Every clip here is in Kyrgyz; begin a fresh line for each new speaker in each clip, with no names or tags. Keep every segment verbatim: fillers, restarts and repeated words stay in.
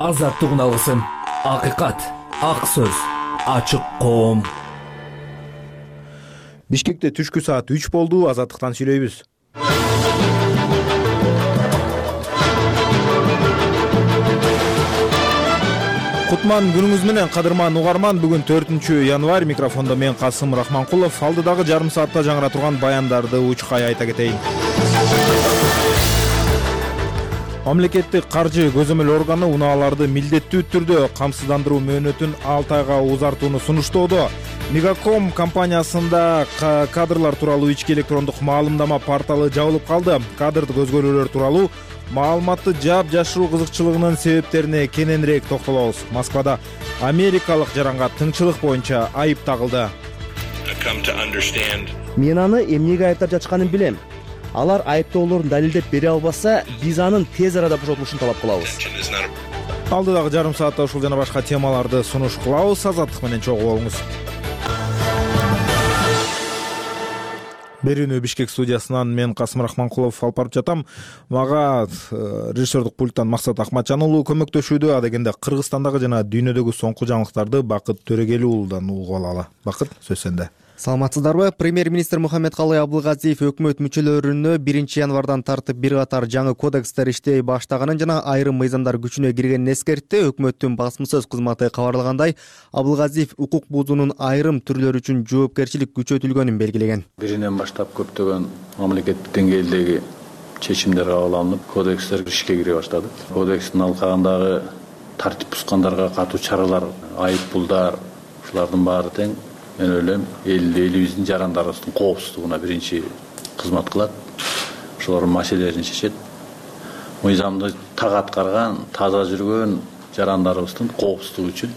Азаттыгын алгысың. Акыйкат, ак сөз, ачык коом.
Бишкекте түшкү саат үч болду. Азаттыктан сүйлөйбүз. Кутман күнүңүз менен, кадырман угарман. Бүгүн төртүнчү январь. Микрофондо мен Касым Рахманкулов. Алдыдагы жарым саатта жаңыра турган баяндарды учкай айта кетейин. Мамлекеттик каржы көзөмөл органы унааларды милдеттүү түрдө камсыздандыруу мөөнөтүн алты айга узартууну сунуштоодо. Мегаком компаниясында кадрлар тууралуу ички электрондук маалымдама порталы жабылып калды. Кадрдык өзгөрүүлөр тууралуу маалыматты жаап жашыруу кызыкчылыгынын себептерине кененирээк токтолобуз. Москвада америкалык жаранга тыңчылык боюнча айып тагылды.
Мен аны эмнеге айыптап жатышканын билем. Алар айыптоолорун далилдеп бере албаса, биз анын тез арада бошотулушун талап кылабыз.
Алдыдагы жарым саатта ушул жана башка темаларды сунуш кылабыз. Азаттык менен чогуу болуңуз. Берүүнү Бишкек студиясынан мен Касым Рахманкулов алып барып жатам. Мага режиссердук пульттан Максат Акматжан уулу көмөктөшүүдө. А дегенде Кыргызстандагы жана дүйнөдөгү соңку жаңылыктарды Бакыт Төрөгели уулудан угуп алалы. Бакыт, сөз сенде.
Саламатсыздарбы? Премьер-министр Мухаммедкалый Абылгазиев өкмөт мүчөлөрүнө биринчи январдан тартып бир катар жаңы кодекстер иштей баштаганын жана айрым мыйзамдар күчүнө киргенин эскертти. Өкмөттүн басма сөз кызматы кабарлагандай, Абылгазиев укук бузуунун айрым түрлөрү үчүн жоопкерчилик күчөтүлгөнүн белгилеген.
Биринен баштап көптөгөн мамлекеттик деңгээлдеги чечимдер кабыл алынып, кодекстер ишке кире баштады. Кодекстин алкагындагы тартип бузгандарга катуу чаралар, айыппулдар, ушулардын баары тең мен ойлойм элибиздин жарандарыбыздын коопсуздугуна биринчи кызмат кылат. Ошолордун маселелерин чечет. Мыйзамды так аткарган, таза жүргөн жарандарыбыздын коопсуздугу үчүн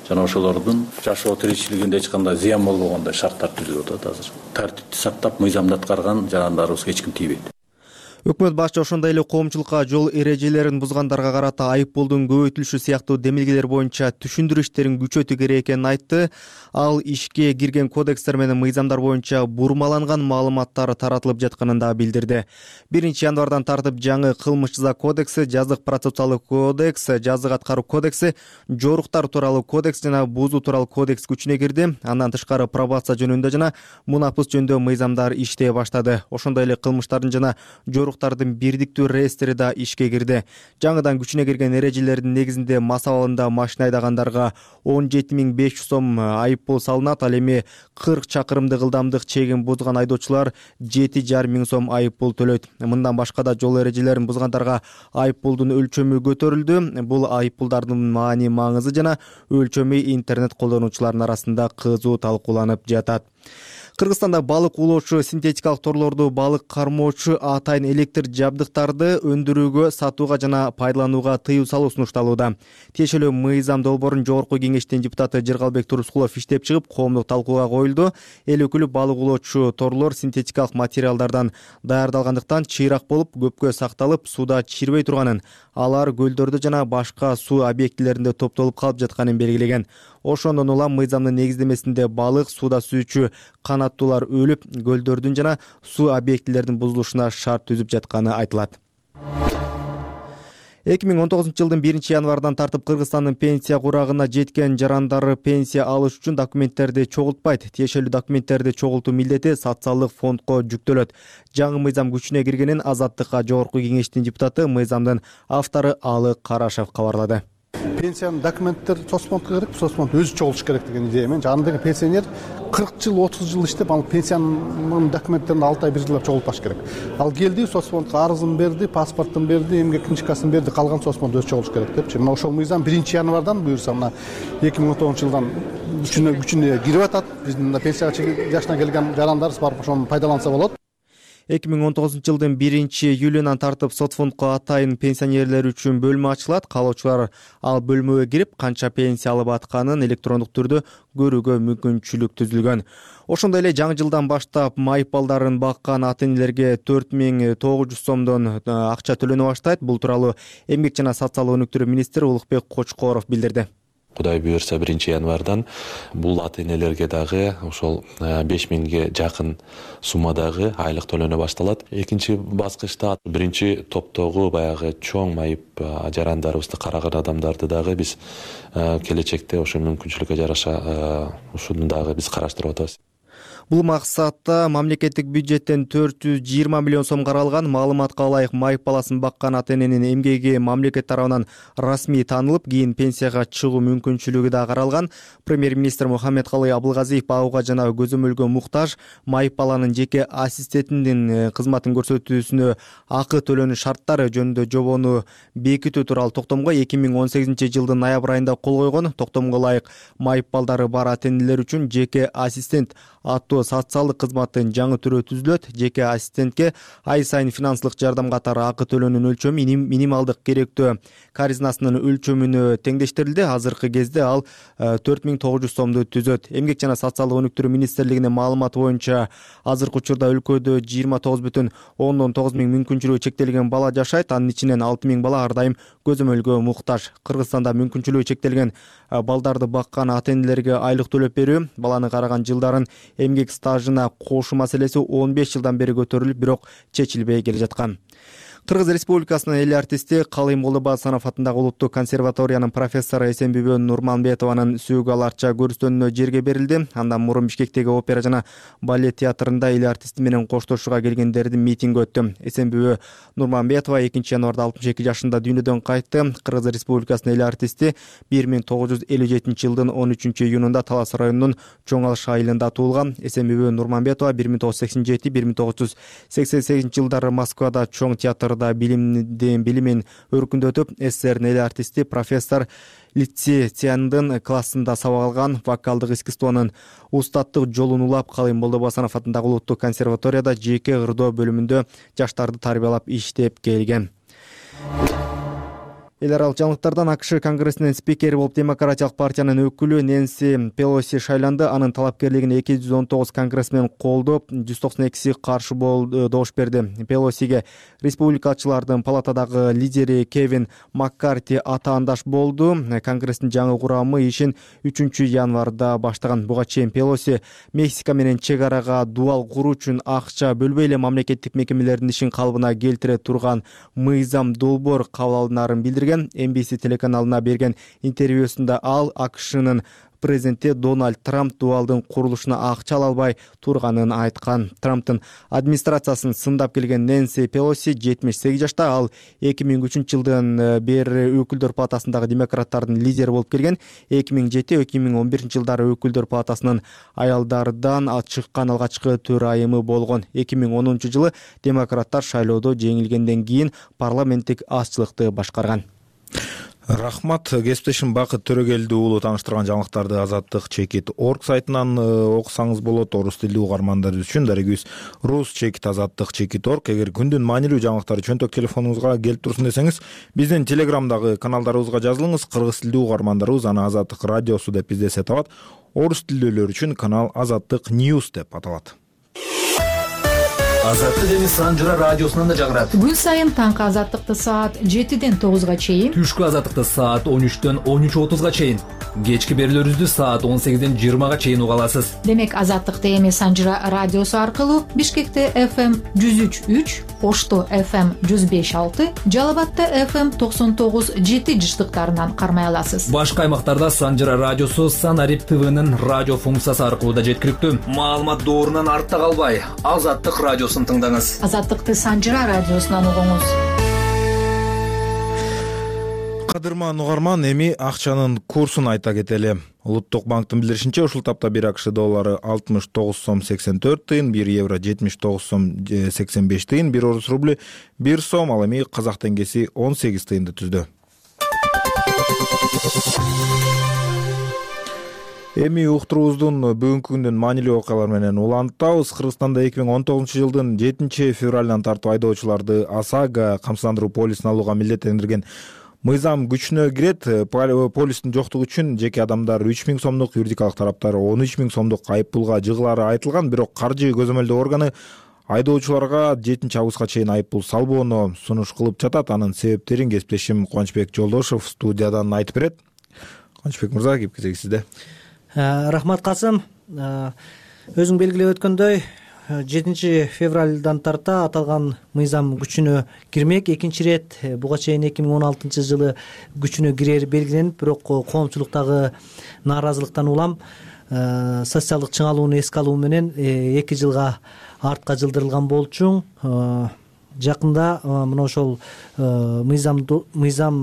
жана ошолордун жашоо тиричилигинде эч кандай зыян болбогондой шарттар түзүлүп атат азыр. Тартипти сактап, мыйзамды аткарган жарандарыбызга эч ким тийбейт.
Өкмөт башчы ошондой эле коомчулукка жол эрежелерин бузгандарга карата айыппулдун көбөйтүлүшү сыяктуу демилгелер боюнча түшүндүрүү иштерин күчөтүү керек экенин айтты. Ал ишке кирген кодекстер менен мыйзамдар боюнча бурмаланган маалыматтар таратылып жатканын да билдирди. биринчи январдан тартып жаңы кылмыш жаза кодекси, жазык процессуалдык кодекс, жазык аткаруу кодекси, жоруктар тууралуу кодекс жана бузуу тууралуу кодекс күчүнө кирди. Андан тышкары пробация жөнүндө жана мунапыс жөнүндө мыйзамдар иштей баштады. Ошондой эле кылмыштардын жана жоруктардын бирдиктүү реестри да ишке кирди. Жаңыдан күчүнө кирген эрежелердин негизинде мас абалында машина айдагандарга он жети миң беш жүз сом айыппул салынат. Ал эми кырк чакырымдык ылдамдык чегин бузган айдоочулар жети жарым миң сом айыппул төлөйт. Мындан башка да жол эрежелерин бузгандарга айыппулдун өлчөмү көтөрүлдү. Бул айыппулдардын маани маңызы жана өлчөмү интернет колдонуучулардын арасында кызуу талкууланып жатат. Кыргызстанда балык улоочу, синтетикалык торлорду балык кармоочу атайын электр жабдыктарды өндүрүүгө, сатууга жана пайдаланууга тыюу салуу сунушталууда. Тиешелүү мыйзам долбоорун Жогорку кеңештин депутаты Жыргалбек Турускулов иштеп чыгып, коомдук талкууга коюлду. Эл өкүлү балык улоочу торлор синтетикалык материалдардан даярдалгандыктан чыйрак болуп, көпкө сакталып, суда чирбей турганын, алар көлдөрдө жана башка суу объектилеринде топтолуп калып жатканын белгилеген. Ошондон улам мыйзамдын негиздемесинде балык, суда сүйүүчү канаттуулар өлүп, көлдөрдүн жана суу объектилердин бузулушуна шарт түзүп жатканы айтылат. эки миң он тогузунчу жылдын биринчи январдан тартып Кыргызстандын пенсия курагына жеткен жарандары пенсия алыш үчүн документтерди чогултпайт. Тиешелүү документтерди чогултуу милдети социалдык фондко жүктөлөт. Жаңы мыйзам күчүнө киргенин Азаттыкка Жогорку кеңештин депутаты, мыйзамдын автору Алы Карашев кабарлады.
Пенсиянын документтер соцфондко керек, соцфонд өзү чогулуш керек деген идея менен. Андагы пенсионер кырк жыл, отуз жыл иштеп, ал пенсиянын документтерин алты ай бир жылдап чогултпаш керек. Ал келди, соцфондко арызын берди, паспортун берди, эмгек книжкасын берди, калган соцфонд өзү чогулуш керек депчи. Мына ошол мыйзам биринчи январдан буюрса, мына эки миң он тогузунчу жылдан күчүнө күчүнө кирип атат. Биздин пенсия жашына келген жарандарыбыз барып ошону пайдаланса болот.
эки миң он тогузунчу жылдын биринчи июлунан тартып соцфондко атайын пенсионерлер үчүн бөлмө ачылат. Каалоочулар ал бөлмөгө кирип, канча пенсия алып атканын электрондук түрдө көрүүгө мүмкүнчүлүк түзүлгөн. Ошондой эле жаңы жылдан баштап майып балдарын баккан ата-энелерге төрт миң тогуз жүз сомдон акча төлөнө баштайт. Бул тууралуу Эмгек жана социалдык өнүктүрүү министри Улукбек Кочкоров билдирди.
Кудай буюрса биринчи январдан бул ата энелерге дагы ошол беш миңге жакын суммадагы айлык төлөнө башталат. Экинчи баскычта биринчи топтогу баягы чоң майып жарандарыбызды караган адамдарды дагы биз келечекте ошо мүмкүнчүлүккө жараша ушуну дагы биз караштырып атабыз.
Бул максатта мамлекеттик бюджеттен төрт жүз жыйырма миллион сом каралган. Маалыматка ылайык, майып баласын баккан ата эненин эмгеги мамлекет тарабынан расмий таанылып, кийин пенсияга чыгуу мүмкүнчүлүгү да каралган. Премьер-министр Мухаммедкалый Абылгазиев багууга жана көзөмөлгө муктаж майып баланын жеке ассистентинин кызматын көрсөтүүсүнө акы төлөнүү шарттары жөнүндө жобону бекитүү тууралуу токтомго эки миң он сегизинчи жылдын ноябрь айында кол койгон. Токтомго ылайык, майып балдары бар ата энелер үчүн жеке ассистент аттуу социалдык кызматтын жаңы түрү түзүлөт. Жеке ассистентке ай сайын финансылык жардам катары акы төлөөнүн өлчөмү минималдык керектөө каризнасынын өлчөмүнө теңдештирилди. Азыркы кезде ал төрт миң тогуз жүз сомду түзөт. Эмгек жана социалдык өнүктүрүү министрлигинин маалыматы боюнча азыркы учурда өлкөдө жыйырма тогуз бүтүн ондон тогуз миң мүмкүнчүлүгү чектелген бала жашайт. Анын ичинен алты миң бала ар дайым көзөмөлгө муктаж. Кыргызстанда мүмкүнчүлүгү чектелген балдарды баккан ата энелерге айлык төлөп берүү баланы караган жылдарын эмгек стажына кошуу маселеси он беш жылдан бери көтөрүлүп, бирок чечилбей келе жаткан. Кыргыз Республикасынын эл артисти Калый Молдобасанов атындагы улуттук консерваториянын профессору Эсенбүбө Нурманбетованын сөөгү арча көрүстөнүнө жерге берилди. Андан мурун Бишкектеги опера жана балет театрында эл артисти менен коштошууга келгендердин митинги өттү. Эсенбүбө Нурманбетова экинчи январда алтымыш эки жашында дүйнөдөн кайтты. Кыргыз Республикасынын эл артисти бир миң тогуз жүз элүү жетинчи жылдын он үчүнчү июнунда Талас районунун Чоң Алыш айылында туулган. Эсенбүбө Нурманбетова бир миң тогуз жүз сексен жети — бир миң тогуз жүз сексен сегизинчи жылдары Москвада Чоң театр билимдин билимин өркүндөтүп, СССРдин эл артисти профессор лицензияндын классында сабак алган. Вокалдык искусствонун устаттык жолун улап, Калый Молдобасанов атындагы улуттук консерваторияда жеке ырдоо бөлүмүндө жаштарды тарбиялап иштеп келген. Эл аралык жаңылыктардан АКШ Конгрессинин спикери болуп Демократиялык партиянын өкүлү Нэнси Пелоси шайланды. Анын талапкерлигине эки жүз он тогуз конгрессмен колдоп, жүз токсон экиси каршы болду, добуш берди. Пелосиге республикачылардын палатадагы лидери Кевин Маккарти атаандаш болду. Конгресстин жаңы курамы ишин үчүнчү январда баштаган. Буга чейин Пелоси Мексика менен чек арага дуал куруу үчүн акча бөлбөй эле мамлекеттик мекемелердин ишин калыбына келтире турган мыйзам долбоор кабыл алынарын билдирген. Эн Би Си телеканалына берген интервьюсунда ал АКШнын президенти Дональд Трамп дуалдын курулушуна акча ала албай турганын айткан. Трамптын администрациясын сындап келген Нэнси Пелоси жетимиш сегиз жашта. Ал эки миң үчүнчү жылдан бери өкүлдөр палатасындагы демократтардын лидери болуп келген. эки миң жети — эки миң он биринчи жылдары өкүлдөр палатасынын аялдардан чыккан алгачкы төрайымы болгон. эки миң онунчу жылы демократтар шайлоодо жеңилгенден кийин парламенттик азчылыкты башкарган.
Рахмат. Кесиптешим Бакыт Төрөгелди уулу тааныштырган жаңылыктарды азаттык чекит орг сайтынан окусаңыз болот. Орус тилдүү угармандар үчүн дарегибиз рус чекит азаттык чекит орг. Эгер күндүн маанилүү жаңылыктары чөнтөк телефонуңузга келип турсун десеңиз, биздин телеграмдагы каналдарыбызга жазылыңыз. Кыргыз тилдүү угармандарыбыз аны Азаттык радиосу деп издесе табат. Орус тилдүүлөр үчүн канал Азаттык Ньюс деп аталат.
Азаттык эми Санжыра радиосунан да жагырат.
Күн сайын таңкы азаттыкты саат жетиден тогузга чейин,
түшкү азаттыкты саат он үчтөн он үч отузга чейин, кечки берүүлөрүбүздү саат он сегизден жыйырмага чейин уга аласыз.
Демек азаттыкты эми Санжыра радиосу аркылуу Бишкекте эф эм жүз үч үч, Ошто эф эм жүз беш алты, Жалал Абадта эф эм токсон тогуз жети жыштыктарынан кармай аласыз.
Башка аймактарда Санжыра радиосу Санарип ТВнын радио функциясы аркылуу да жеткиликтүү. Маалымат доорунан артта калбай, Азаттык радиосун тыңдаңыз.
Азаттыкты Санжыра радиосунан угуңуз.
Кадырман угарман, эми акчанын курсун айта кетели. Улуттук банктын билдиришинче, ушул тапта бир АКШ доллары алтымыш тогуз сом сексен төрт тыйын, бир евро жетимиш тогуз сом сексен беш тыйын, бир орус рубль бир сом, ал эми казак теңгеси он сегиз тыйынды түздү. Эми уктуруубуздун бүгүнкү күндүн маанилүү окуялары менен улантабыз. Кыргызстанда эки миң он тогузунчу жылдын жетинчи февралынан тартып айдоочуларды ОСАГО камсыздандыруу полисин алууга милдеттендирген мыйзам күчүнө кирет. Полистин жоктугу үчүн жеке адамдар үч миң сомдук, юридикалык тараптар он үч миң сомдук айып пулга жыгылары айтылган. Бирок каржы көзөмөлдөө органы айдоочуларга жетинчи августка чейин айып пул салбоону сунуш кылып жатат. Анын себептерин кесиптешим Кубанычбек Жолдошов студиядан айтып берет. Кубанычбек мырза, кеп кезеги сизде.
Рахмат, Касым. Өзүң белгилеп өткөндөй, жетинчи февралдан тарта аталган мыйзам күчүнө кирмек. Экинчи ирет буга чейин эки миң он алтынчы жылы күчүнө кирери белгиленип, бирок коомчулуктагы нааразылыктан улам социалдык чыңалууну эске алуу менен эки жылга артка жылдырылган болчу. Жакында мына ошол мыйзам мыйзам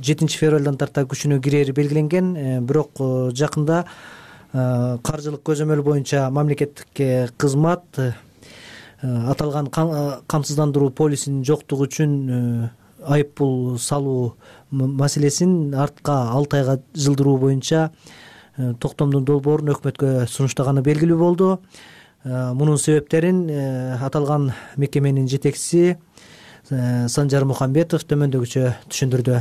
жетинчи февралдан тарта күчүнө кирери белгиленген. Бирок жакында каржылык көзөмөл боюнча мамлекеттик кызмат аталган камсыздандыруу полисинин жоктугу үчүн айып пул салуу маселесин артка алты айга жылдыруу боюнча токтомдун долбоорун өкмөткө сунуштаганы белгилүү болду. Мунун себептерин аталган мекеменин жетекчиси Санжар Мухамбетов төмөндөгүчө түшүндүрдү.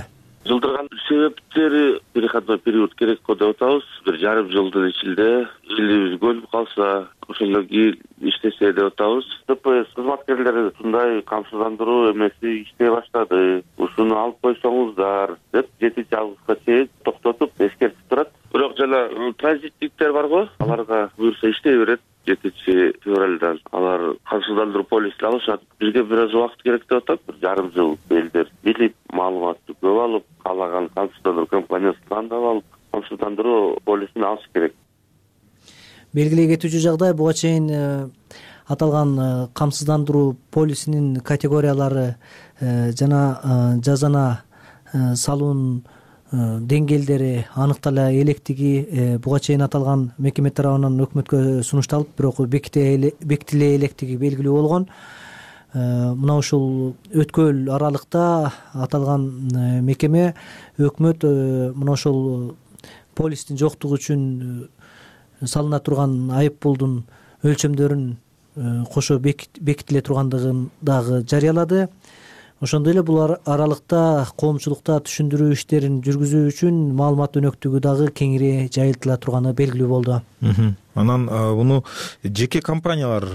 Жылдырган себептери переходной период керек го деп атабыз. Бир жарым жылдын ичинде элибиз көнүп калса, ошондон кийин иштесе деп атабыз. ТПС кызматкерлери ушундай камсыздандыруу эмеси иштей баштады, ушуну алып койсоңуздар деп жетинчи августка чейин токтотуп эскертип турат. Бирок жана транзиттиктер барго, аларга буюрса иштей берет. жетинчи февралдан алар камсыздандыруу полисин алышат. Бизге бир аз убакыт керек деп атат. Бир жарым жыл элдер билип, маалыматты көп алып, каалаган камсыздандыруу компаниясын тандап алып, камсыздандыруу полисин алыш керек.
Белгилей кетүүчү жагдай, буга чейин аталган камсыздандыруу полисинин категориялары жана жазана салуунун деңгээлдери аныктала электиги буга чейин аталган мекеме тарабынан өкмөткө сунушталып, бирок бекитиле электиги белгилүү болгон. Мына ушул өткөл аралыкта аталган мекеме өкмөт мына ошол полистин жоктугу үчүн салына турган айып пулдун өлчөмдөрүн кошо бекитиле тургандыгын дагы жарыялады. Ошондой эле бул аралыкта коомчулукта түшүндүрүү иштерин жүргүзүү үчүн маалымат өнөктүгү дагы кеңири жайылтыла турганы белгилүү болду.
Анан буну жеке компаниялар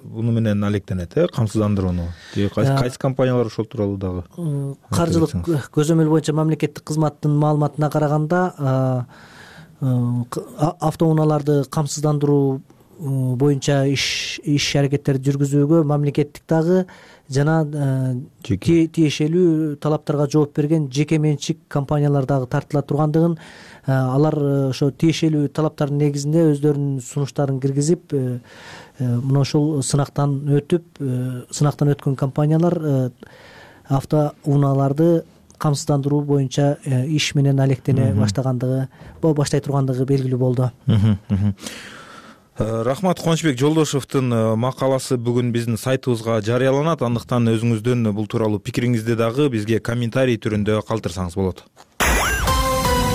буну менен алектенет, э, камсыздандырууну. Же кайсы компаниялар ошол тууралуу дагы?
Каржылык көзөмөл боюнча мамлекеттик кызматтын маалыматына караганда, автоунааларды камсыздандыруу боюнча иш иш аракеттерди жүргүзүүгө мамлекеттик дагы жана тиешелүү талаптарга жооп берген жеке менчик компаниялар дагы тартыла тургандыгын, алар ошо тиешелүү талаптардын негизинде өздөрүнүн сунуштарын киргизип, мына ошол сынактан өтүп, сынактан өткөн компаниялар автоунааларды камсыздандыруу боюнча иш менен алектене баштагандыгы, баштай тургандыгы белгилүү болду.
Рахмат. Кубанычбек Жолдошевдун макаласы бүгүн биздин сайтыбызга жарыяланат. Андыктан өзүңүздүн бул тууралуу пикириңизди дагы бизге комментарий түрүндө калтырсаңыз болот.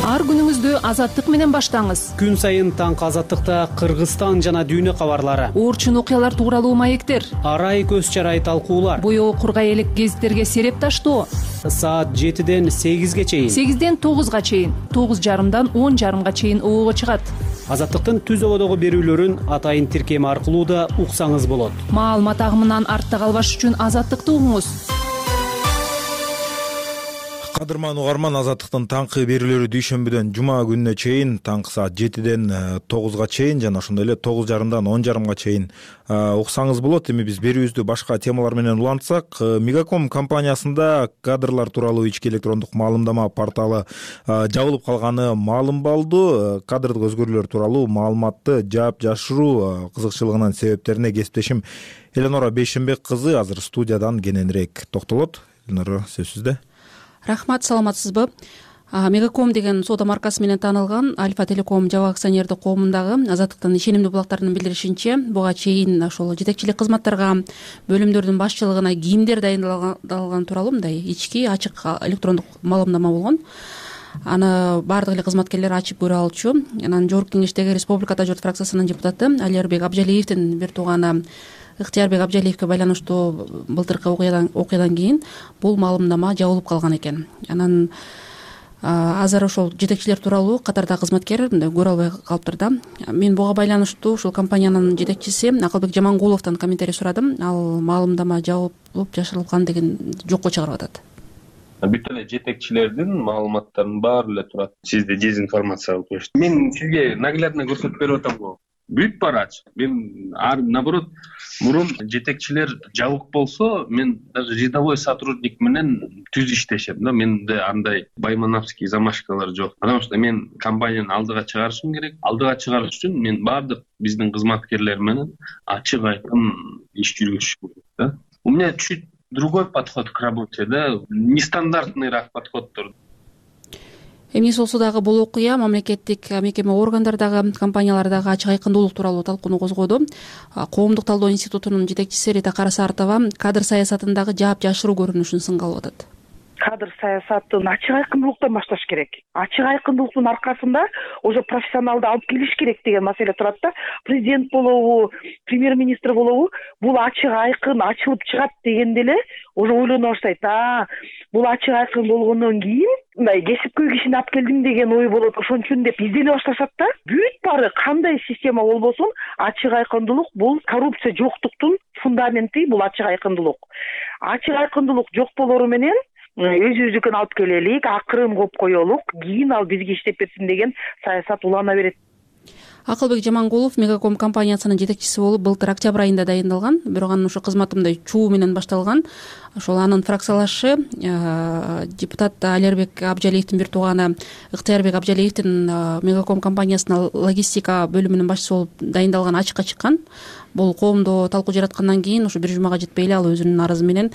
Ар күнүңүздү Азаттык менен баштаңыз.
Күн сайын таңкы Азаттыкта Кыргызстан жана дүйнө кабарлары,
орчун окуялар тууралуу маектер,
арай көз чарай талкуулар,
боёо кургай элек гезиттерге сереп таштоо.
Саат жетиден сегизге чейин,
сегизден тогузга чейин, тогуз жарымдан он жарымга чейин оого чыгат.
Азаттыктын түз ободогу берүүлөрүн атайын тиркем аркылуу да уксаңыз болот.
Маалымат агымынан артта калбаш үчүн Азаттыкты угуңуз.
Кадырман угарман, Азаттыктын таңкы берүүлөрү дүйшөмбүдөн жума күнүнө чейин таңкы саат жетиден тогузга чейин жана ошондой эле тогуз жарымдан он жарымга чейин уксаңыз болот. Эми биз берүүбүздү башка темалар менен улантсак, Мегаком компаниясында кадрлар тууралуу ички электрондук маалымдама порталы жабылып калганы маалым болду. Кадрдык өзгөрүүлөр тууралуу маалыматты жаап жашыруу кызыкчылыгынын себептерине кесиптешим Эленора Бейшембек кызы азыр студиядан кененирээк токтолот. Эленора, сөз сизде.
Рахмат, саламатсызбы? Мегаком деген соода маркасы менен таанылган Альфа Телеком жабык акционердик коомундагы Азаттыктын ишенимдүү булактарынын билдиришинче, буга чейин ошол жетекчилик кызматтарга бөлүмдөрдүн башчылыгына кийимдер дайындалган тууралуу мындай ички ачык электрондук маалымдама болгон. Аны баардык эле кызматкерлер ачып көрө алчу. Анан жогорку кеңештеги Республика Тажорт фракциясынын депутаты Алиербек Абжалиевдин бир тууганы Ыктыярбек Абжалиевке байланыштуу былтыркы окуядан окуядан кийин бул маалымдама жабылып калган экен. Анан азыр ошол жетекчилер тууралуу катардагы кызматкер көрө албай калыптыр да. Мен буга байланыштуу ушул компаниянын жетекчиси Акылбек Жамангуловдон комментарий сурадым. Ал маалымдама жабылып жашырылган деген жокко чыгарып атат.
бүт эле жетекчилердин маалыматтарынын баары эле турат. Сизди дезинформация кылып коюшту. Мен сизге наглядно көрсөтүп берип атам го. Бүт баары ачык. Мен наоборот мурун жетекчилер жабык болсо, мен даже рядовой сотрудник менен түз иштешем да. Менде андай баймановский замашкалар жок. Потому что мен компанияны алдыга чыгарышым керек. Алдыга чыгарыш үчүн мен баардык биздин кызматкерлер менен ачык айкын иш жүргүзүш керек да. У меня чуть другой подход к работе, да, нестандартныйраак подходдор.
Эмнеси болсо дагы бул окуя мамлекеттик мекеме органдардагы компаниялардагы ачык айкындуулук тууралуу талкууну козгоду. Коомдук талдоо институтунун жетекчиси Рита Карасартова кадр саясатындагы жаап жашыруу көрүнүшүн сынга алып атат.
Кадр саясатын ачык айкындуулуктан башташ керек. Ачык айкындуулуктун аркасында уже профессионалды алып келиш керек деген маселе турат да. Президент болобу, премьер-министр болобу, бул ачык айкын ачылып чыгат дегенде эле уже ойлоно баштайт. А, бул ачык айкын болгондон кийин мындай кесипкөй кишини алып келдим деген ой болот. Ошон үчүн деп издене башташат да. Бүт баары кандай система болбосун, ачык айкындуулук бул коррупция жоктуктун фундаменти, бул ачык айкындуулук. Ачык айкындуулук жок болору менен өзүбүздүкүн алып келелик, акырын коюп коелук, кийин ал бизге иштеп берсин деген саясат улана берет.
Акылбек Жамангулов Мегаком компаниясынын жетекчиси болуп былтыр октябрь айында дайындалган, бирок анын ошо кызматы мындай чуу менен башталган. Ошол анын фракциялашы депутат Алербек Абжалиевдин бир тууганы Ыктыярбек Абжалиевдин Мегаком компаниясынын логистика бөлүмүнүн башчысы болуп дайындалган ачыкка чыккан. Бул коомдо талкуу жараткандан кийин ошо бир жумага жетпей эле ал өзүнүн арызы менен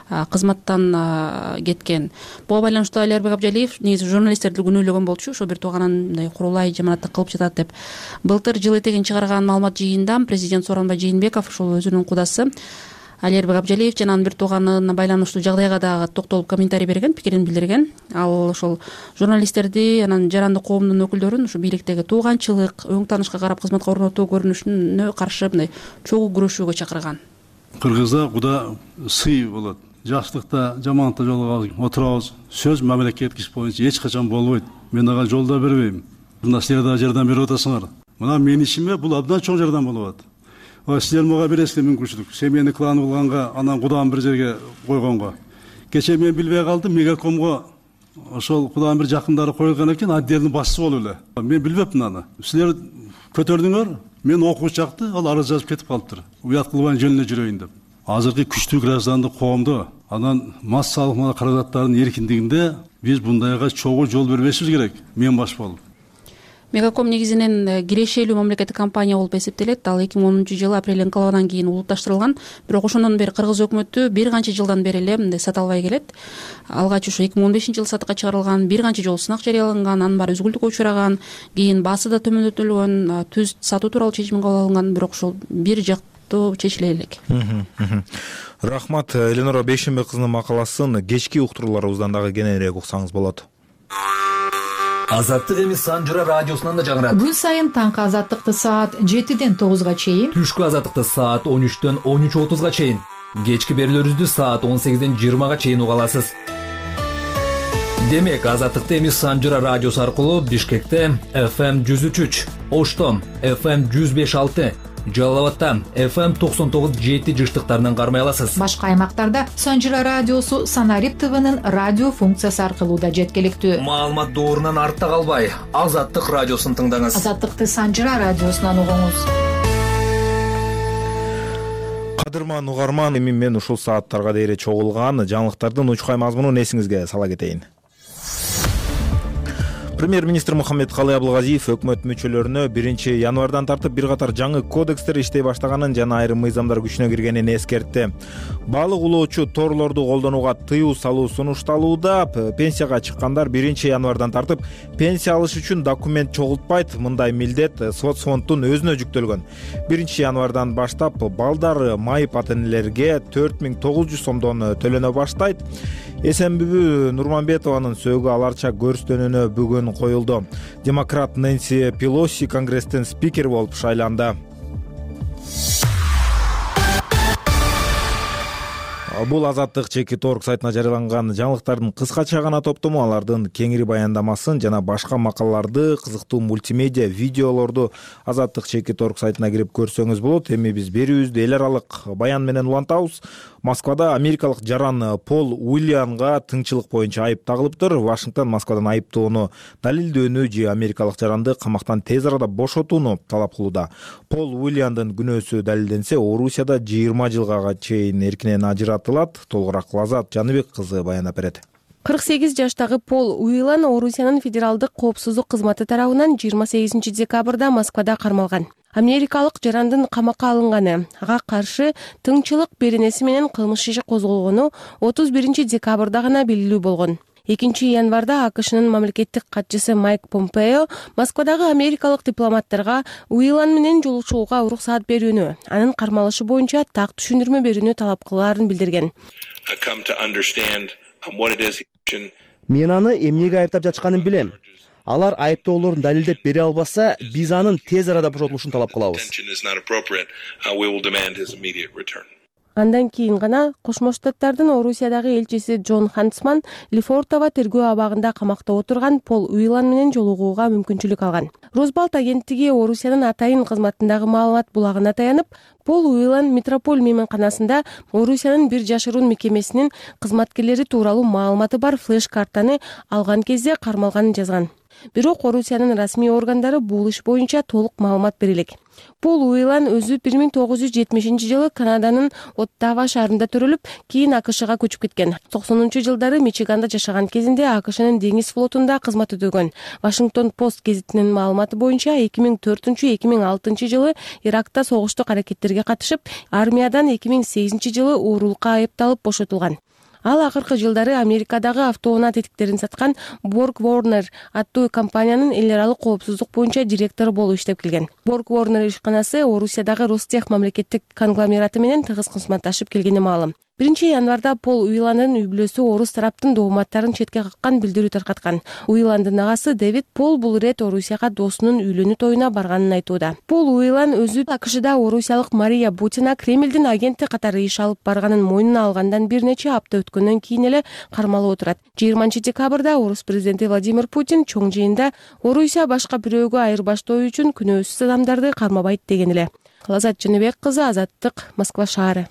кызматтан кеткен. Буга байланыштуу Алербек Абжалиев негизи журналисттерди күнөөлөгөн болчу, ошо бир тууганын мындай курулай жаманаттык кылып жатат деп. Былтыр жыл этегин чыгарган маалымат жыйынында президент Сооронбай Жээнбеков ошол өзүнүн кудасы Алербек Абжалиев жана анын бир тууганына байланыштуу жагдайга дагы токтолуп комментарий берген, пикирин билдирген. Ал ошол журналисттерди, анан жаранды коомдун өкүлдөрүн ушу бийликтеги тууганчылык, өң таанышка карап кызматка орнотуу көрүнүшүнө каршы мындай чогуу күрөшүүгө чакырган.
Кыргызда куда сый болот. Жакшылыкта, жаманатта жолго отурабыз. Сөз мамлекеттик иш боюнча эч качан болбойт. Мен ага жол да бербейм. Мына силер да жардам берип атасыңар. Мына менин ишиме бул абдан чоң жардам болуп атат. Силер мага бересиздер мүмкүнчүлүк. Семьяны клан кылганга, анан кудам бир жерге койгонго. Кече мен билбей калдым, Мегакомго ошол кудам бир жакындары коюлган экен, отделдин башчысы болуп эле. Мен билбепмин аны. Силер көтөрдүңөр, мен окуучу жакты, ал арыз жазып кетип калыптыр. Уят кылбай жөнүнө жүрөйүн деп. Азыркы күчтүү граждандык коомдо анан массалык каражаттардын эркиндигинде биз бундайга чогуу жол бербешибиз керек. Мен баш болуп.
Мегаком негизинен кирешелүү мамлекеттик компания болуп эсептелет. Ал эки миң онунчу жылы апрель инкылабынан кийин улутташтырылган. Бирок ошондон бери кыргыз өкмөтү бир канча жылдан бери эле мындай сата албай келет. Алгач ушу эки миң он бешинчи жылы сатыкка чыгарылган, бир канча жолу сынак жарыяланган, анын баары үзгүлтүккө учураган, кийин баасы да төмөндөтүлгөн, түз сатуу тууралуу чечим кабыл алынган, бирок ушул бир жактуу чечиле элек.
Рахмат. Эленора Бейшенбек кызынын макаласын кечки уктурууларыбыздан дагы кененирээк уксаңыз болот.
Азаттык эми Санжыра радиосунан да жаңырат.
Күн сайын таңкы азаттыкты саат жетиден тогузга чейин,
түшкү азаттыкты саат он үчтөн он үч отузга чейин, кечки берүүлөрүбүздү саат он сегизден жыйырмага чейин уга аласыз. Демек, азаттыкты эми Санжыра радиосу аркылуу Бишкекте эф эм жүз үч үч, Ошто эф эм жүз беш алты, Жалал абадта эф эм токсон тогуз жети жыштыктарынан кармай аласыз.
Башка аймактарда Санжыра радиосу Санарип ТВнын радио функциясы аркылуу да жеткиликтүү.
Маалымат доорунан артта калбай, Азаттык радиосун тыңдаңыз.
Азаттыкты Санжыра радиосунан угуңуз.
Кадырман угарман, эми мен ушул сааттарга дейре чогулган жаңылыктардын учкай мазмунун эсиңизге сала кетейин. Премьер-министр Мухаммедкалый Абылгазиев өкмөт мүчөлөрүнө биринчи январдан тартып бир катар жаңы кодекстер иштей баштаганын жана айрым мыйзамдар күчүнө киргенин эскертти. Балык улоочу торлорду колдонууга тыюу салуу сунушталууда. Пенсияга чыккандар биринчи январдан тартып пенсия алыш үчүн документ чогултпайт. Мындай милдет соцфонддун өзүнө жүктөлгөн. биринчи январдан баштап балдар майып ата-энелерге төрт миң тогуз жүз сомдон төлөнө баштайт. Эсенбүбү Нурманбетованын сөөгү аларча көрүстөнүүнө бүгүн коюлду. Демократ Нэнси Пелоси Конгресстин спикери болуп шайланды. Бул Азаттык чеки торг сайтына жарыяланган жаңылыктардын кыскача гана топтому. Алардын кеңири баяндамасын жана башка макалаларды, кызыктуу мультимедиа видеолорду Азаттык чеки торг сайтына кирип көрсөңүз болот. Эми биз берүүбүздү эл аралык баян менен улантабыз. Москвада америкалык жаран Пол Уильянга тыңчылык боюнча айып тагылыптыр. Вашингтон Москвадан айыптоону далилдөөнү же америкалык жаранды камактан тез арада бошотууну талап кылууда. Пол Уильяндын күнөөсү далилденсе, Орусияда жыйырма жылга чейин эркинен ажыратылат. Толугураак Лазат Жаныбек кызы баяндап берет.
кырк сегиз жаштагы Пол Уильян Орусиянын федералдык коопсуздук кызматы тарабынан жыйырма сегизинчи декабрда Москвада кармалган. Америкалык жарандын камакка алынганы, ага каршы тыңчылык беренеси менен кылмыш иши козголгону отуз биринчи декабрда гана белгилүү болгон. экинчи январда АКШнын мамлекеттик катчысы Майк Помпео Москвадагы америкалык дипломаттарга Уильян менен жолугушууга уруксаат берүүнү, анын кармалышы боюнча так түшүндүрмө берүүнү талап кылаарын билдирген.
Мен аны эмнеге айыптап жатышканын билем. Алар айыптоолорун далилдеп бере албаса, биз анын тез арада бошотулушун талап кылабыз.
Андан кийин гана Кошмо Штаттардын Орусиядагы элчиси Джон Хантсман Лефортово тергөө абагында камакта отурган Пол Уильян менен жолугууга мүмкүнчүлүк алган. Росбалт агенттиги Орусиянын атайын кызматындагы маалымат булагына таянып, Пол Уильян Метрополь мейманканасында Орусиянын бир жашыруун мекемесинин кызматкерлери тууралуу маалыматы бар флеш-картаны алган кезде кармалганын жазган. Бирок Орусиянын расмий органдары бул иш боюнча толук маалымат бере элек. Пол Уильян өзү бир миң тогуз жүз жетимишинчи жылы Канаданын Оттава шаарында төрөлүп, кийин АКШга көчүп кеткен. токсонунчу жылдары Мичиганда жашаган кезинде АКШнын деңиз флотунда кызмат өтөгөн. Вашингтон Пост гезитинин маалыматы боюнча эки миң төртүнчү — эки миң алтынчы жылы Иракта согуштук аракеттерге катышып, армиядан эки миң сегизинчи жылы уурулукка айыпталып бошотулган. Ал акыркы жылдары Америкадагы автоунаа тетиктерин саткан Borg Warner аттуу компаниянын эл аралык коопсуздук боюнча директору болуп иштеп келген. Borg Warner ишканасы Орусиядагы Ростех мамлекеттик конгломераты менен тыгыз кызматташып келгени маалым. биринчи январда Пол Уильяндын үй-бүлөсү орус тараптын дооматтарын четке каккан билдирүү таркаткан. Уильяндын агасы Дэвид Пол бул ирет Орусияга досунун үйлөнүү тоюна барганын айтууда. Пол Уильян өзү АКШда орусиялык Мария Бутина Кремлдин агенти катары иш алып барганын мойнуна алгандан бир нече апта өткөндөн кийин эле кармалып отурат. жыйырманчы декабрда орус президенти Владимир Путин чоң жыйында Орусия башка бирөөгө айырбаштоо үчүн күнөөсүз адамдарды кармабайт деген эле. Лазат Жаныбек кызы, Азаттык, Москва шаары.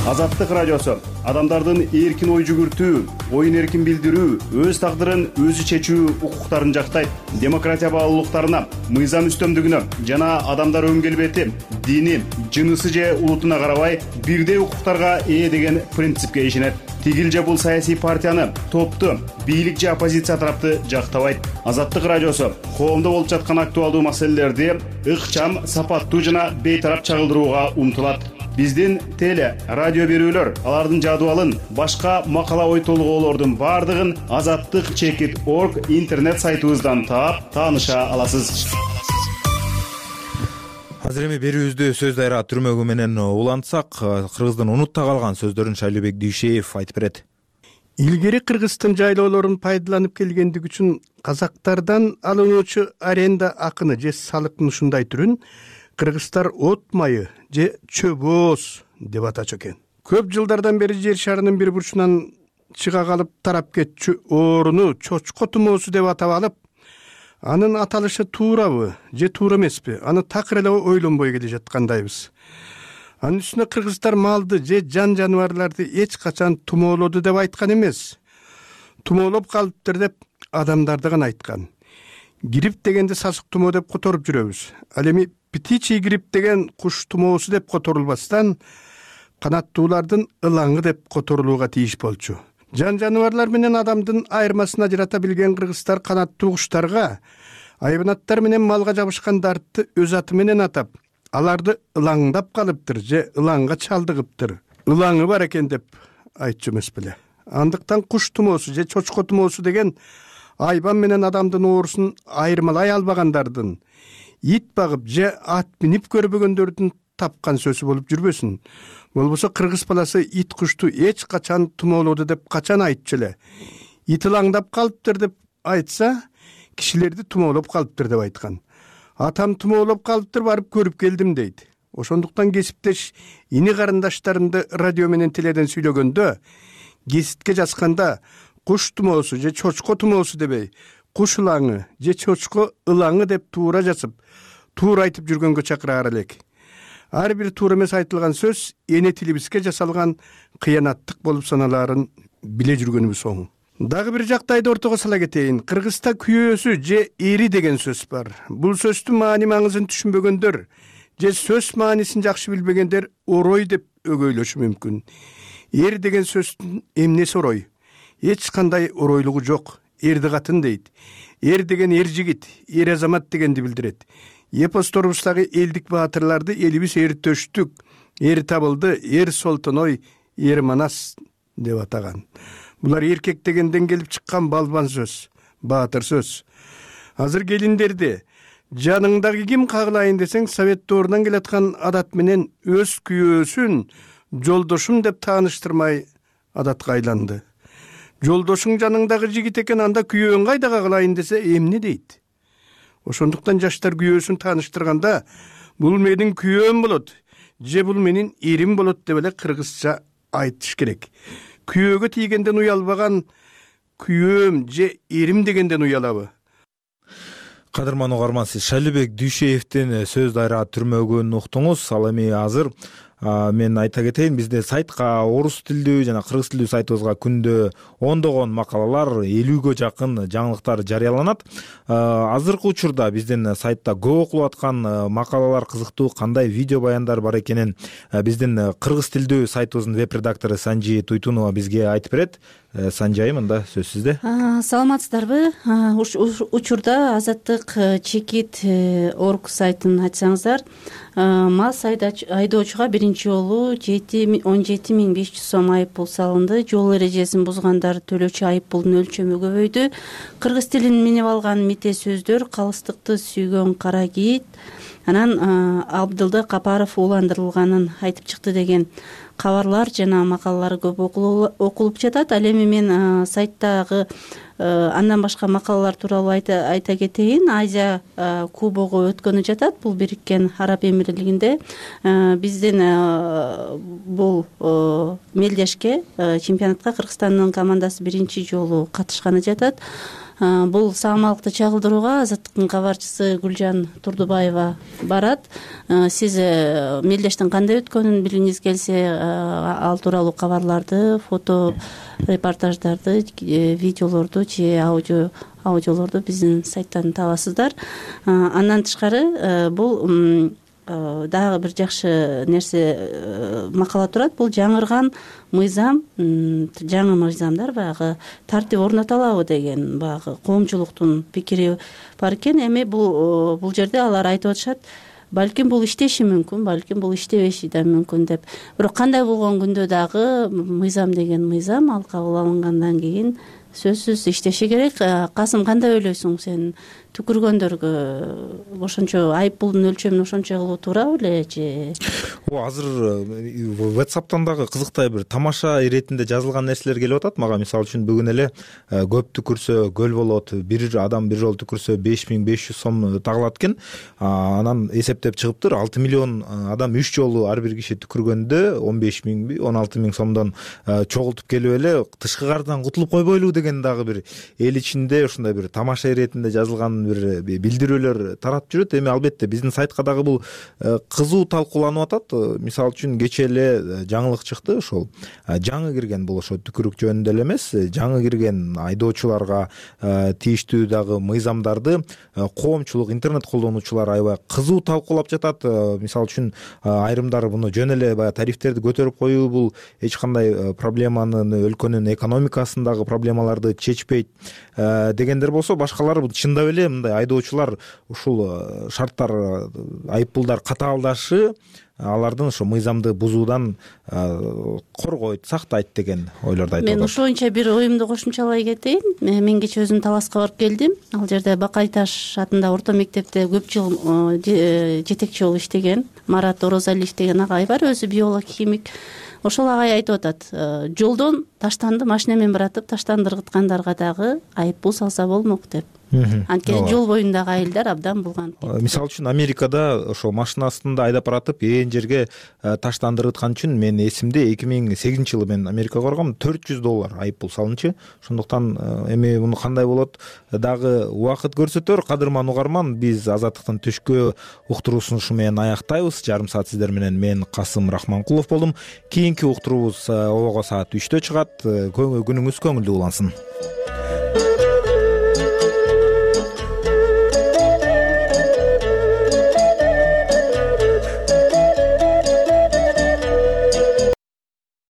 Азаттык радиосу адамдардын эркин ой жүгүртүү, оюн эркин билдирүү, өз тагдырын өзү чечүү укуктарын жактайт. Демократия баалуулуктарына, мыйзам үстөмдүгүнө жана адамдар өң келбети, дини, жынысы же улутуна карабай бирдей укуктарга ээ деген принципке ишенет. Тигил же бул саясий партияны, топту, бийлик же оппозиция тарапты жактабайт. Азаттык радиосу коомдо болуп жаткан актуалдуу маселелерди ыкчам, сапаттуу жана бейтарап чагылдырууга умтулат. Биздин теле, радио берүүлөр, алардын жадыбалын, башка макала ой толгоолордун бардыгын азаттык чекит точка орг интернет сайтыбыздан таап, тааныша аласыз.
Азыр эми берүүбүздү сөз дайра түрмөгү менен улантсак, кыргыздын унутта калган сөздөрүн Шайлообек Дүйшеев айтып берет.
Илгери Кыргызстан жайлоолорун пайдаланып келгендик үчүн казактардан алынуучу аренда акыны же салыктын ушундай түрүн кыргыздар от майы же чөбөөз деп атачу экен. Көп жылдардан бери жер шарынын бир бурчунан чыга калып тарап кетчү ооруну чочко тумоосу деп атап алып, анын аталышы туурабы же туура эмеспи, аны такыр эле ойлонбой келе жаткандайбыз. Анын үстүнө кыргыздар малды же жан жаныбарларды эч качан тумоолоду деп айткан эмес. Тумоолоп калыптыр деп адамдарды гана айткан. Грипп дегенде сасык тумоо деп которуп жүрөбүз. Ал эми птичий грипп деген куш тумоосу деп которулбастан канаттуулардын ылаңы деп которулууга тийиш болчу. Жан жаныбарлар менен адамдын айырмасын ажырата билген кыргыздар канаттуу куштарга айбанаттар менен малга жабышкан дартты өз аты менен атап, аларды ылаңдап калыптыр же ылаңга чалдыгыптыр. Ылаңы бар экен деп айтчу эмес беле. Андыктан куш тумоосу же чочко тумоосу деген айбан менен адамдын оорусун айырмалай албагандардын, ит багып же ат минип көрбөгөндөрдүн тапкан сөзү болуп жүрбөсүн. Болбосо кыргыз баласы ит кушту эч качан тумоолоду деп качан айтчу эле. Ит ылаңдап калыптыр деп айтса, кишилерди тумоолоп калыптыр деп айткан. Атам тумоолоп калыптыр, барып көрүп келдим дейт. Ошондуктан кесиптеш ини карындаштарымды радио менен теледен сүйлөгөндө, кеситке жазганда куш тумоосу же чочко тумоосу дебей, куш ылаңы же чочко ылаңы деп туура жазып, туура айтып жүргөнгө чакыраар элек. ар бир туура эмес айтылган сөз эне тилибизге жасалган кыянаттык болуп саналаарын биле жүргөнүбүз оң. Дагы бир жактайды ортого сала кетейин. Кыргызста күйөөсү же эри деген сөз бар. Бул сөздүн маани маңызын түшүнбөгөндөр же сөз маанисин жакшы билбегендер орой деп өгөйлөшү мүмкүн. Эр деген сөздүн эмнеси орой? Эч кандай оройлугу жок. Эрди катын дейт. Эр деген эр жигит, эр азамат дегенди билдирет. Эпосторубуздагы элдик баатырларды элибиз эртөштүк, эр табылды, эр солтоной, эр манас деп атаган. Булар эркек дегенден келип чыккан балбан сөз, баатыр сөз. Азыр келиндерди жаныңдагы ким кагылайын десең, совет доорунан келаткан адат менен өз күйөөсүн жолдошум деп тааныштырмай адатка айланды. Жолдошуң жаныңдагы жигит экен, анда күйөөң кайда кагылайын десе эмне дейт? Ошондуктан жаштар күйөөсүн тааныштырганда бул менин күйөөм болот же бул менин эрим болот деп эле кыргызча айтыш керек. Күйөөгө тийгенден уялбаган күйөөм же эрим дегенден уялабы?
Кадырман угарман, сиз Шайлыбек Дүйшеевдин сөз дайра түрмөгөн уктуңуз. Ал эми азыр мен айта кетейин, бизде сайтка орус тилдүү жана кыргыз тилдүү сайтыбызга күндө ондогон макалалар, элүүгө жакын жаңылыктар жарыяланат. Азыркы учурда биздин сайтта көп окулуп аткан макалалар, кызыктуу кандай видео баяндар бар экенин биздин кыргыз тилдүү сайтыбыздын веб редактору Санжи Туйтунова бизге айтып берет. Санжи айым, анда сөз сизде.
Саламатсыздарбы? Учурда Азаттык чекит орг сайтын ачсаңыздар, мас айдоочуга биринчи жолу он жети миң беш жүз сом айып пул салынды. Жол эрежесин бузгандар төлөөчү айып пулдун өлчөмү көбөйдү. Кыргыз тилин минип алган мите сөздөр, калыстыкты сүйгөн кара кийит, анан Абдылды Капаров ууландырылганын айтып чыкты деген кабарлар жана макалалар көп окулуп жатат. Ал эми мен сайттагы андан башка макалалар тууралуу айта кетейин. Азия кубогу өткөнү жатат. Бул Бириккен Араб Эмирлигинде. Биздин бул мелдешке, чемпионатка Кыргызстандын командасы биринчи жолу катышканы жатат. Бул саамалыкты чагылдырууга Азаттыктын кабарчысы Гүлжан Турдубаева барат. Сиз мелдештин кандай өткөнүн билгиңиз келсе, ал тууралуу кабарларды, фото репортаждарды, видеолорду же аудио аудиолорду биздин сайттан табасыздар. Андан тышкары бул дагы бир жакшы нерсе макала турат. Бул жаңырган мыйзам, жаңы мыйзамдар, баягы тартип орното алабы деген баягы коомчулуктун пикири бар экен. Эми бул бул жерде алар айтып атышат, балким бул иштеши мүмкүн, балким бул иштебеши да мүмкүн деп. Бирок кандай болгон күндө дагы мыйзам деген мыйзам, ал кабыл алынгандан кийин сөзсүз иштеши керек. Касым, кандай ойлойсуң сен? Түкүргөндөргө ошончо айып пулдун өлчөмүн ошончо кылуу туурабы эле же?
О, азыр WhatsApp'тан дагы кызыктай бир тамаша иретинде жазылган нерселер келип атат мага. Мисалы үчүн бүгүн эле көп түкүрсө көл болот, бир адам бир жолу түкүрсө беш миң беш жүз сом тагылат экен. Анан эсептеп чыгыптыр, алты миллион адам үч жолу ар бир киши түкүргөндө он беш миңби, он алты миң сомдон чогултуп келип эле тышкы кардан кутулуп койбойлу деген дагы бир эл ичинде ушундай бир тамаша иретинде жазылган бир билдирүүлөр тарап жүрөт. Эми албетте биздин сайтка дагы бул кызуу талкууланып атат. Мисалы үчүн кечээ эле жаңылык чыкты, ошол жаңы кирген, бул ошо түкүрүк жөнүндө эле эмес, жаңы кирген айдоочуларга тийиштүү дагы мыйзамдарды коомчулук, интернет колдонуучулар аябай кызуу талкуулап жатат. Мисалы үчүн айрымдары муну жөн эле баягы тарифтерди көтөрүп коюу бул эч кандай проблеманын, өлкөнүн экономикасын дагы проблемаларды чечпейт дегендер болсо, башкалары чындап эле мындай айдоочулар ушул шарттар, айып пулдар катаалдашы алардын ошо мыйзамды бузуудан коргойт, сактайт деген ойлорду айтып атат.
Мен ошончо бир оюмду кошумчалай кетейин. Мен кечээ өзүм Таласка барып келдим. Ал жерде Бакай Таш атында орто мектепте көп жыл жетекчи болуп иштеген Марат Орозалиев деген агай бар, өзү биолог, химик. Ошол агай айтып атат, жолдон таштанды машина менен баратып таштанды ыргыткандарга дагы айып пул салса болмок деп.
анткени жол боюндагы айылдар абдан булганып кетти.
Мисалы үчүн Америкада ошо машина астында айдап баратып ээн жерге таштандырыткан үчүн мен эсимде эки миң сегизинчи жылы мен Америкага баргам, төрт жүз доллар айып пул салынчу. Ошондуктан эми муну кандай болот дагы убакыт көрсөтөр. Кадырман угарман, биз Азаттыктын түшкү уктуруусун ушу менен аяктайбыз. Жарым саат сиздер менен мен Касым Рахманкулов болдум. Кийинки уктуруубуз обого саат үчтө чыгат. Күнүңүз көңүлдүү улансын.